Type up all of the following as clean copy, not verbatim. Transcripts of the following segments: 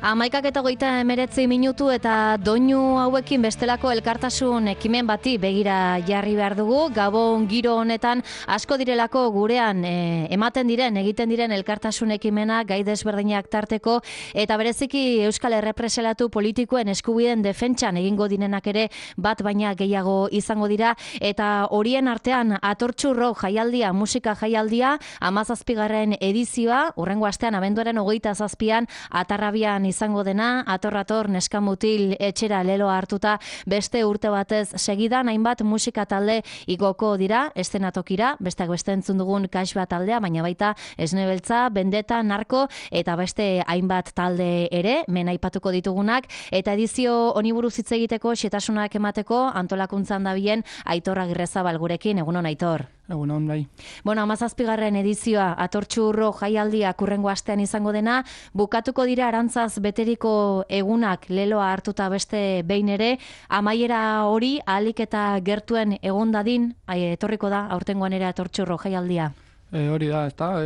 11:29 eta doinu hauekin bestelako elkartasun ekimen bati begira jarri behar dugu. Gabon giro honetan asko direlako gurean ematen diren, egiten diren elkartasun ekimena gai desberdinak tarteko eta bereziki Euskal Errepreselatu politikoen eskubideen defentsan egingo direnak ere bat baina gehiago izango dira eta horien artean Atortxurro jaialdia, musika jaialdia 17. edizioa, hurrengo astean abenduaren 27an Atarrabian izango dena, ator neskamutil etxera leloa hartuta beste urte batez segidan hainbat musika talde igoko dira, eszenatokira, besteak beste entzun dugun Kaxba taldea, baina baita Esnebeltza, Bendeta, Narko eta beste hainbat talde ere, aipatuko ditugunak, eta edizio honi buruz hitz egiteko xetasunak emateko antolakuntzan dabilen Aitor Agirrezabal gurekin, egunon Aitor. Egunon, bai. Bueno, 17. edizioa Atortxurro jaialdia hurrengo astean izango dena, bukatuko dira arantzaz beteriko egunak leloa hartuta beste behin ere, amaiera hori ahalik eta gertuen egon dadin, etorriko da aurtengoan ere Atortxurro jaialdia. Hori da, ezta,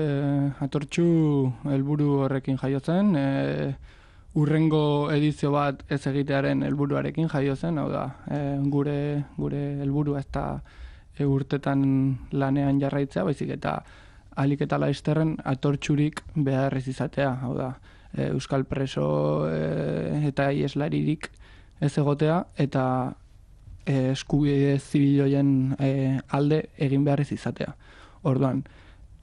Atortxu helburu horrekin jaiotzen, hurrengo edizio bat ez egitearen helburuarekin jaiotzen, hau da, gure helburua ez da urtetan lanean jarraitzea, baizik eta ahalik eta laizterren Atortxurik behar ez izatea, hau da, euskal preso eta ieslaririk ez egotea, eta eskubide zibiloien alde egin behar ez izatea. Orduan,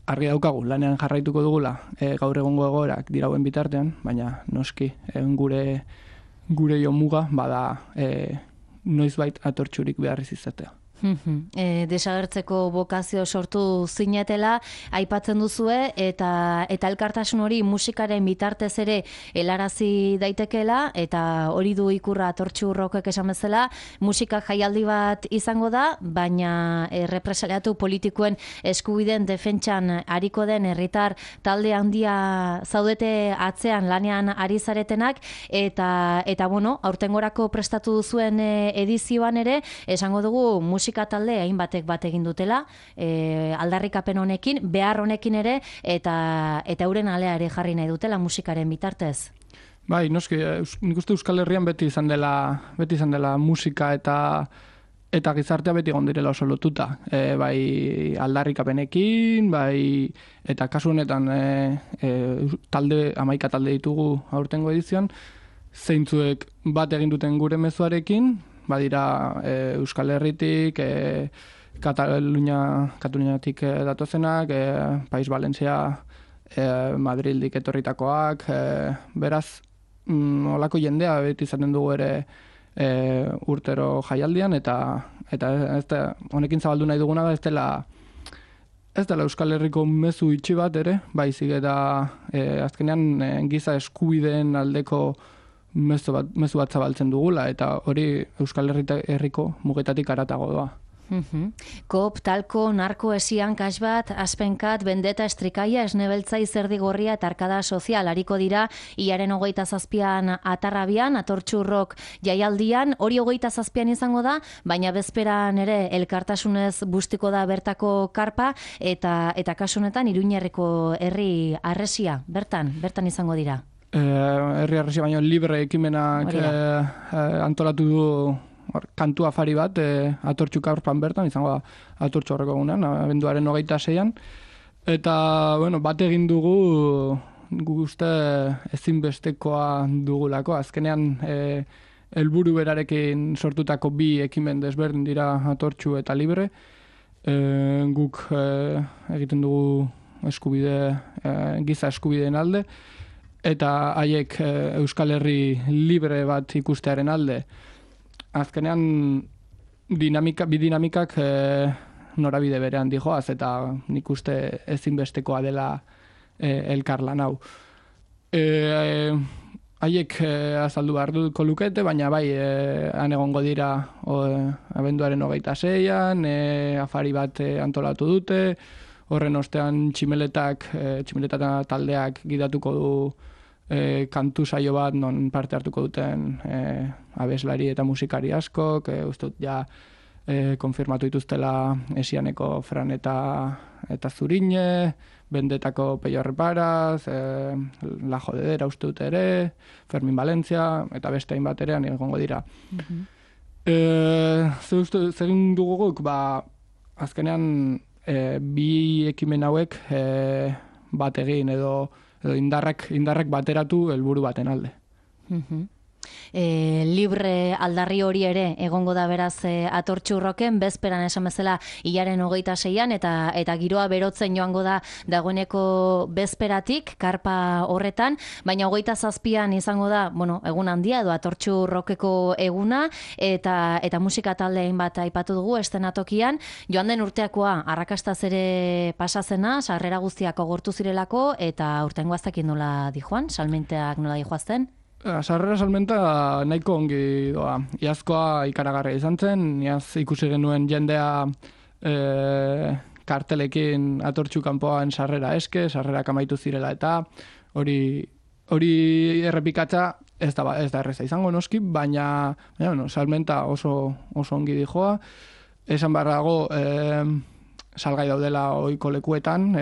argi daukagu, lanean jarraituko dugula, gaur egongo egoerak dirauen bitartean, baina noski, gure jomuga, bada noizbait Atortxurik behar ez izatea. Desagertzeko bokazio sortu zinetela aipatzen duzue eta elkartasun hori musikaren bitartez ere helarazi daitekeela eta hori du ikurra Atortxurrokek esan bezala, musika jaialdi bat izango da, baina errepresaliatu politikoen eskubideen defentsan ariko den herritar talde handia zaudete atzean lanean ari zaretenak eta bueno, aurtengorako prestatu duzuen edizioan ere esango dugu musika talde hainbatek bat egin dutela, aldarrikapen honekin, behar honekin ere, eta euren alea ere jarri nahi dutela musikaren bitartez. Bai, noski, nik uste Euskal Herrian beti izan dela musika eta gizartea beti egon direla oso lotuta. Bai aldarrikapenekin, bai, eta kasu honetan 11 talde ditugu aurtengo edizioan, zeintzuek bat egin duten gure mezuarekin, badira Euskal Herritik, Kataluniatik datozenak, Pais Valentzia, Madrildik etorritakoak, beraz, olako jendea beti izaten dugu ere urtero jaialdian, eta honekin zabaldu nahi duguna da ez dela Euskal Herriko mezu itxi bat ere, baizik eta azkenean giza eskubideen aldeko mezu bat zabaltzen dugula, eta hori Euskal Herriko mugetatik haratago doa. Kop, Talko, Narko, Esian, Kaxbat, Aspenkat, Bendeta, Estrikaia, Esnebeltza, Izerdigorria eta Arkada Sozial ariko dira iaren 27an Atarrabian, Atortxurrok jaialdian, hori 27an izango da, baina bezperan ere elkartasunez bustiko da bertako karpa eta kasu honetan Iruñerriko herri harresia, bertan izango dira. Herri harresia baino libre ekimenak antolatu du kantu afari bat, Atortxu Karpan bertan, izango da Atortxu horreko egunean, abenduaren 26an. Eta, bueno, bat egin dugu, uste ezinbestekoa dugulako. Azkenean, helburu berarekin sortutako bi ekimen desberdin dira Atortxu eta libre. Guk egiten dugu giza eskubideen alde, eta haiek Euskal Herri libre bat ikustearen alde. Azkenean bi dinamikak norabide berean dijoaz, eta nik uste ezinbestekoa dela elkarlan hau. Haiek azaldu beharko lukete, baina bai han egongo dira abenduaren 26an, afari bat antolatu dute, horren ostean tximeleta taldeak gidatuko du kantu saio bat non parte hartuko duten abeslari eta musikari askok, uste dut ja konfirmatu dituztela Esianeko Fran eta Zurine, Bendetako Peio Reparaz, La Jodedera uste dut ere, Fermin Valencia, eta beste hainbat ere egongo dira. Zegin dugu guk, azkenean bi ekimen hauek bat egin edo indarrak bateratu helburu baten alde. Libre aldarri hori ere egongo da beraz Atortxu Rocken, bezperan esan bezala hilaren 26an eta giroa berotzen joango da dagoeneko bezperatik, karpa horretan, baina 27an izango da, egun handia edo Atortxu Rockeko eguna eta musika taldein bat aipatu dugu estenatokian, joan den urteakoa arrakastaz ere pasazena, sarrera guztiak agortu zirelako eta urtengo aztekin nola dijoan, salmenteak nola dijoazten? Sarrera salmenta nahiko ongi doa. Iazkoa ikaragarria izan zen, iaz ikusi genuen jendea kartelekin Atortxu kanpoan sarrera eske, sarrerak amaitu zirela eta hori errepikatza ez da erreza izango noski, baina salmenta oso ongi dijoa. Esan barrago salgai daudela ohiko lekuetan,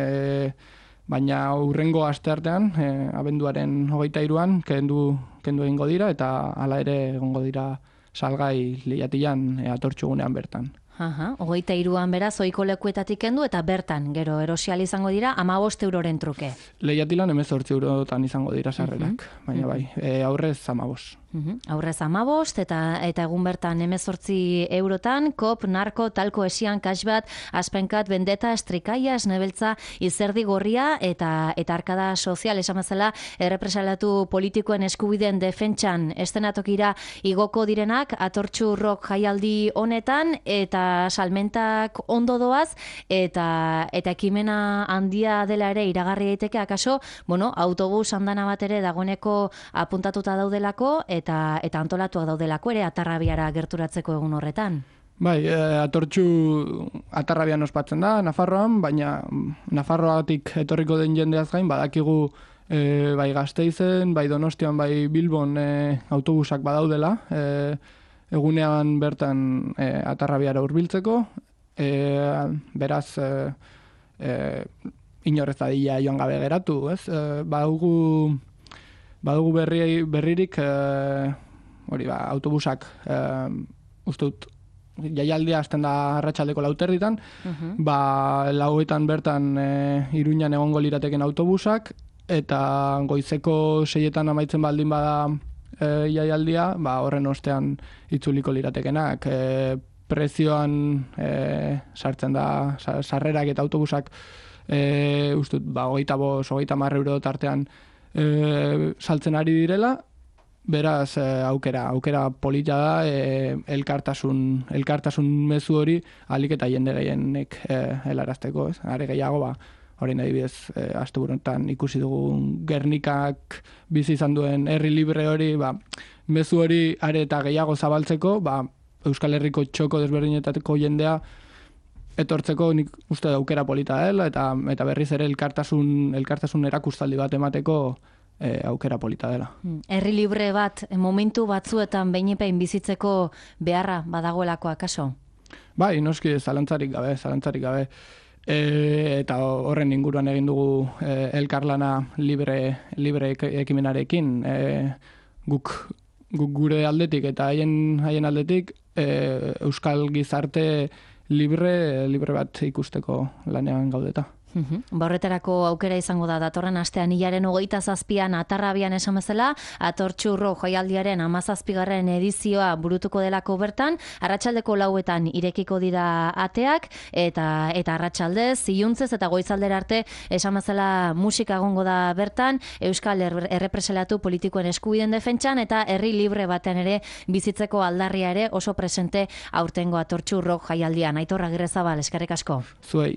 baina hurrengo asteartean, abenduaren 23an, kendu egingo dira, eta hala ere egongo dira salgai lehiatilan Atortxu gunean bertan. 23an beraz, ohiko lekuetatik kendu eta bertan, gero erosial izango dira, 15 euroren truke. Lehiatilan 18 eurotan izango dira sarrerak, baina bai, aurrez 15. Aurrez 15 eta egun bertan 18 eurotan, kop, narko, talko esian, kasbat, aspenkat, bendeta, estrikaia, esnebeltza, izerdi gorria eta arkada sozial, esan bezala, errepresalatu politikoen eskubideen defentsan estenatokira igoko direnak, Atortxu Rock jaialdi honetan, eta salmentak ondo doaz, eta ekimena handia dela ere iragarri daiteke, akaso, autobus andana bat ere dagoeneko apuntatuta daudelako, eta antolatuak daudelako ere Atarrabiara gerturatzeko egun horretan. Bai, Atortxu Atarrabian ospatzen da, Nafarroan, baina Nafarroatik etorriko den jendeaz gain, badakigu bai Gasteizen, bai Donostian, bai Bilbon autobusak badaudela, egunean bertan Atarrabiara hurbiltzeko, beraz inorrez dadila joan gabe geratu, ez? Badugu berririk autobusak ustut jaialdia hasten da arratsaldeko 4:00, lauetan bertan Iruñan egongo lirateken autobusak, eta goizeko 6:00 amaitzen baldin bada jaialdia, horren ostean itzuliko liratekenak. Prezioan sartzen da sarrerak eta autobusak ustut 25-30 euro tartean saltzen ari direla, beraz aukera polita da elkartasun mezu hori ahalik eta jende gehienek helarazteko, ez? Are gehiago orain adibidez asteburuetan ikusi dugu Gernikak bizi izan duen herri libre hori, mezu hori are eta gehiago zabaltzeko, Euskal Herriko txoko desberdinetako jendea etortzeko nik uste aukera polita dela, eta berriz ere elkartasun erakustaldi bat emateko aukera polita dela. Herri libre bat momentu batzuetan behinepein bizitzeko beharra badagoelako akaso? Bai, noski zalantzarik gabe. Eta horren inguruan egin dugu elkarlana libre ekimenarekin. Guk gure aldetik eta haien aldetik euskal gizarte libre bat ikusteko lanean gaudeta. Horretarako aukera izango da datorren astean hilaren 27an Atarrabian esan bezala, Atortxu Rock jaialdiaren 17. edizioa burutuko delako bertan, arratsaldeko 4:00 irekiko dira ateak, eta arratsaldez, iluntzez eta goizaldera arte esan bezala musika egongo da bertan, Euskal errepresalatu politikoen eskubideen defentsan eta herri libre batean ere bizitzeko aldarria ere oso presente aurtengo Atortxu Rock jaialdian. Aitor Agirrezabal, eskerrik asko. Zuei.